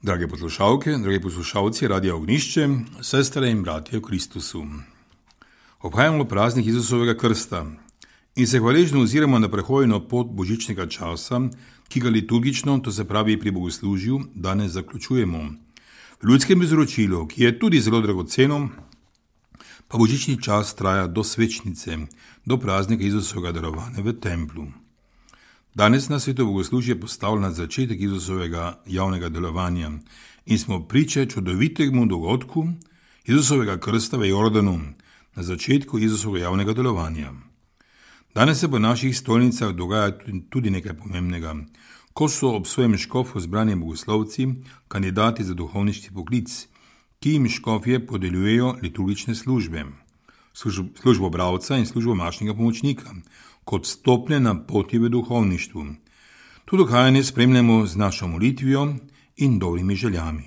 Drage poslušalke, dragi poslušalci Radia Ognišče, sestre in bratje v Kristusu. Obhajamo praznik Jezusovega krsta in se hvaležno oziramo na prehojeno pot božičnega časa, ki ga liturgično, to se pravi pri bogoslužju, danes zaključujemo. V ljudskem izročilu, ki je tudi zelo dragoceno, pa božični čas traja do svečnice, do praznika Jezusovega darovanja v templu. Danes na sveto bogoslužje postavlja na začetek Jezusovega javnega delovanja in smo priče čudovitemu dogodku Jezusovega krsta v Jordanu na začetku Jezusovega javnega delovanja. Danes se po naših stolnicah dogaja tudi nekaj pomembnega, ko so ob svojem škofu zbrani bogoslovci, kandidati za duhovniški poklic, ki jim škofje podeljujejo liturgične službe, službo bralca in službo mašnega pomočnika, kot stopnje na poti v duhovništvu. To dogajanje spremljamo z našo molitvijo in dobrimi željami.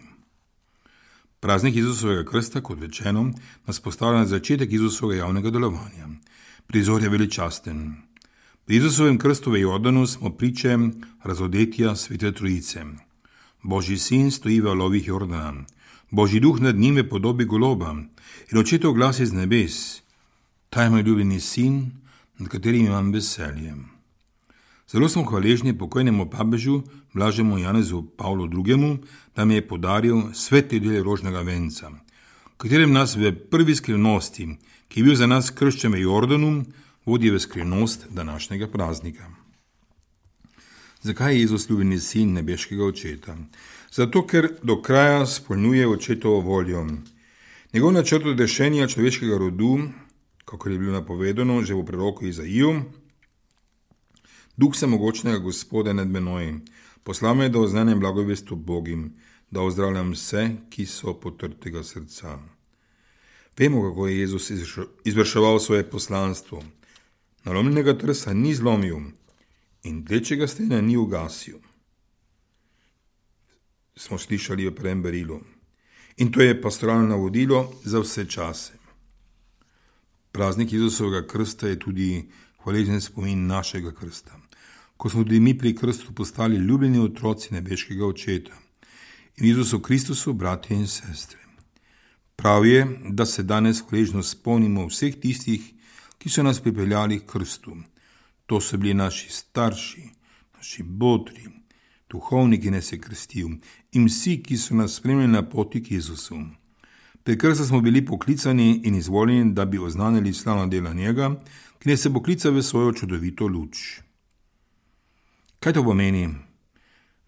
Praznik Jezusovega krsta, kot rečeno, nas postavlja na začetek Jezusovega javnega delovanja. Prizor je veličasten. Pri Jezusovem krstu v Jordanu smo priče razodetja Svete Trojice. Božji sin stoji v valovih Jordana. Božji duh nad njim v podobi goloba in očetov glas iz nebes: Ta je moj ljubljeni sin, nad katerim imam veselje. Zelo smo hvaležni pokojnemu papežu blažemu Janezu Pavlu II., da mi je podaril sveti del rožnega venca, v katerem nas v prvi skrivnosti, ki je bil za nas krščen v Jordanu, vodi v skrivnost današnjega praznika. Zakaj je Jezus ljubljeni sin nebeškega očeta? Zato, ker do kraja spolnjuje očetovo voljo. Njegov načrt odrešenja človeškega rodu, kakor je bilo napovedano že v proroku Izaiju: Duh vsemogočnega Gospoda nad menoj, poslal me, da oznanjam blagovest Bogim, da ozdravljam vse, ki so potrtega srca. Vemo, kako je Jezus izvrševal svoje poslanstvo. Nalomljenega trsa ni zlomil in tlečega stena ni ugasil. Smo slišali v prvem berilu. In to je pastoralno navodilo za vse čase. Praznik Jezusovega krsta je tudi hvaležen spomin našega krsta, ko smo tudi mi pri krstu postali ljubljeni otroci nebeškega očeta in Jezusu Kristusu bratje in sestre. Prav je, da se danes hvaležno spomnimo vseh tistih, ki so nas pripeljali k krstu. To so bili naši starši, naši botri, duhovniki nas je krstil in vsi, ki so nas spremljali na poti k Jezusu. Pri krstu smo bili poklicani in izvoljeni, da bi oznanili slavna dela njega, ki nas je poklical v svojo čudovito luč. Kaj to pomeni,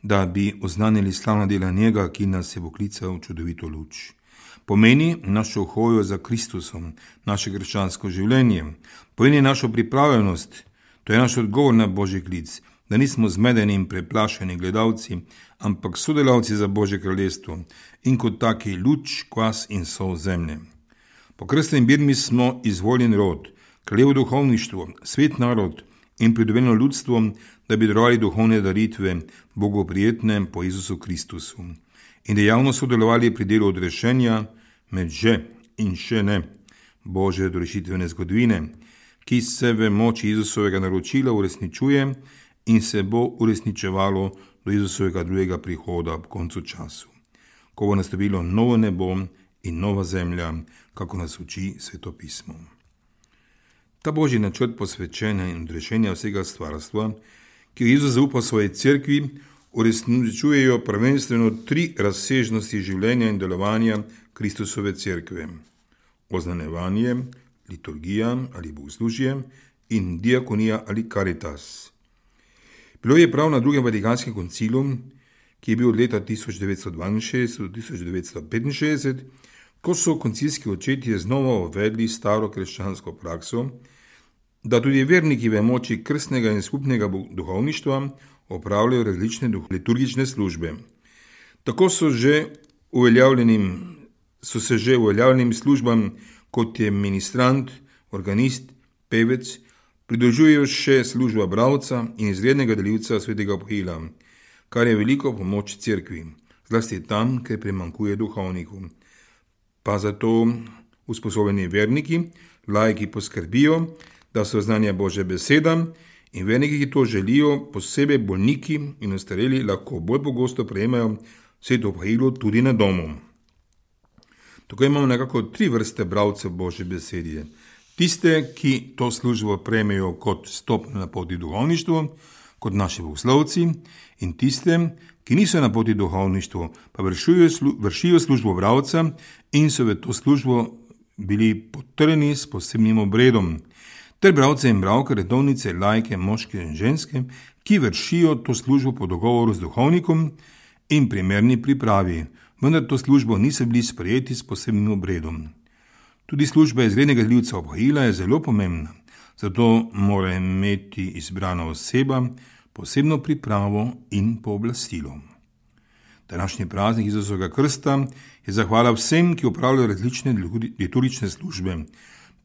da bi oznanili slavna dela njega, ki nas je poklical v čudovito luč? Pomeni našo hojo za Kristusom, naše krščansko življenje, pomeni našo pripravljenost, to je naš odgovor na Božji klic, da nismo zmedeni in preplašeni gledalci, ampak sodelavci za Božje kraljestvo in kot taki luč, kvas in sol zemlje. Po krstni birmi smo izvoljen rod, kraljevo duhovništvo, svet narod in pridobljeno ljudstvo, da bi darovali duhovne daritve, Bogu prijetne po Jezusu Kristusu in dejavno sodelovali pri delu odrešenja med že in še ne Božje dorešitvene zgodovine, ki se v moči Jezusovega naročila uresničuje in se bo uresničevalo do Jezusovega drugega prihoda ob koncu času, ko bo nastopilo novo nebo in nova zemlja, kako nas uči Sveto pismo. Ta Božji načrt posvečenja in odrešenja vsega stvarstva, ki jo Jezus zaupa svoji cerkvi, uresničujejo prvenstveno 3 razsežnosti življenja in delovanja Kristusove cerkve: oznanjevanje, liturgija ali bogoslužje in diakonija ali karitas. Bilo je prav na drugem Vatikanskem koncilu, ki je bil od leta 1962 do 1965, ko so koncilski očetje znova uvedli staro krščansko prakso, da tudi verniki v moči krstnega in skupnega duhovništva opravljajo različne liturgične službe. Tako so se že uveljavljenim službam, kot je ministrant, organist, pevec, pridružujejo še služba bralca in izrednega delivca svetega obhila, kar je veliko pomoč cerkvi, zlasti tam, kjer primanjkuje duhovnikov. Pa zato usposobljeni verniki, laiki poskrbijo, da se oznanja Božja beseda in verniki, ki to želijo, posebej bolniki in ostareli, lahko bolj pogosto prejemajo sveto pahilo tudi na domu. Tukaj imamo nekako 3 vrste bralcev Božje besede. Tiste, ki to službo prejmejo kot stopnjo na poti duhovništva, kot naši bogoslovci, in tiste, ki niso na poti duhovništva, pa vršijo službo bralca in so v to službo bili potrjeni s posebnim obredom, ter bralce in bralke, redovnice, laike, moške in ženske, ki vršijo to službo po dogovoru z duhovnikom in primerni pripravi, vendar to službo niso bili sprejeti s posebnim obredom. Tudi služba izrednega delivca obhajila je zelo pomembna, zato mora imeti izbrana oseba posebno pripravo in pooblastilo. Današnji praznik Izusovega krsta je zahvala vsem, ki opravljajo različne liturgične službe,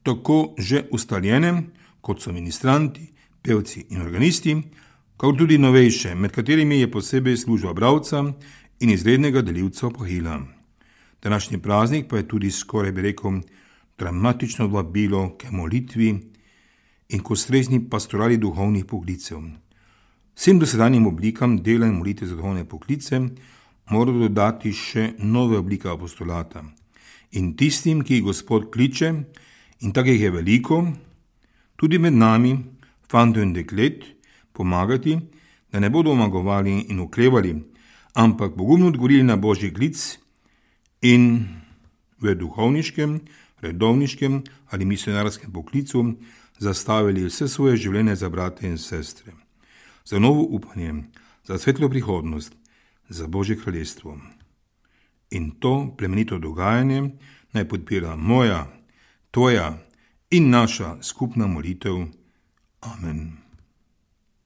tako že ustaljene, kot so ministranti, pevci in organisti, kot tudi novejše, med katerimi je posebej služba bralca in izrednega delivca obhajila. Današnji praznik pa je tudi skoraj bi rekel dramatično vabilo k molitvi in k ustrezni pastorali duhovnih poklicev. Vsem dosedanjim oblikam dela in molitve za duhovne poklice mora dodati še nove oblike apostolata. In tistim, ki jih Gospod kliče, in takih je veliko, tudi med nami, fantov in deklet, pomagati, da ne bodo omagovali in oklevali, ampak pogumno odgovorili na Božji klic in v duhovniškem, redovniškem ali misionarskem poklicu zastavili vse svoje življenje za brate in sestre, za novo upanje, za svetlo prihodnost, za Božje kraljestvo. In to plemenito dogajanje naj podpira moja, tvoja in naša skupna molitev. Amen.